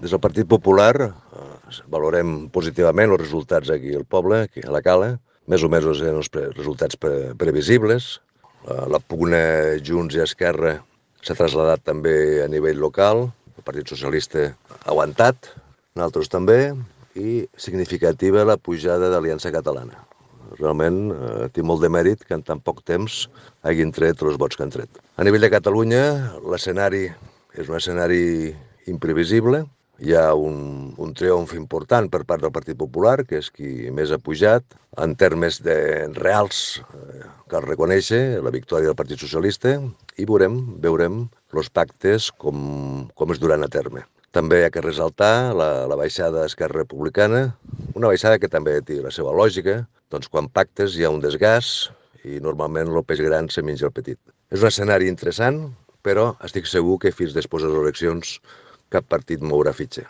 Des del Partit Popular valorem positivament els resultats aquí al poble, aquí a la Cala. Més o menys eren els resultats previsibles. La pugna Junts i Esquerra s'ha traslladat també a nivell local. El Partit Socialista ha aguantat, nosaltres també, i significativa la pujada d'Aliança Catalana. Realment té molt de mèrit que en tan poc temps hagin tret els vots que han tret. A nivell de Catalunya, l'escenari és un escenari imprevisible. Hi ha un triomf important per part del Partit Popular, que és qui més ha pujat. En termes reals, cal reconèixer la victòria del Partit Socialista i veurem els pactes com es duran a terme. També hi ha que ressaltar la baixada d'Esquerra Republicana, una baixada que també té la seva lògica. Doncs quan pactes hi ha un desgast i normalment el peix gran se menja el petit. És un escenari interessant, però estic segur que fins després de les eleccions cap partit mourà fitxa.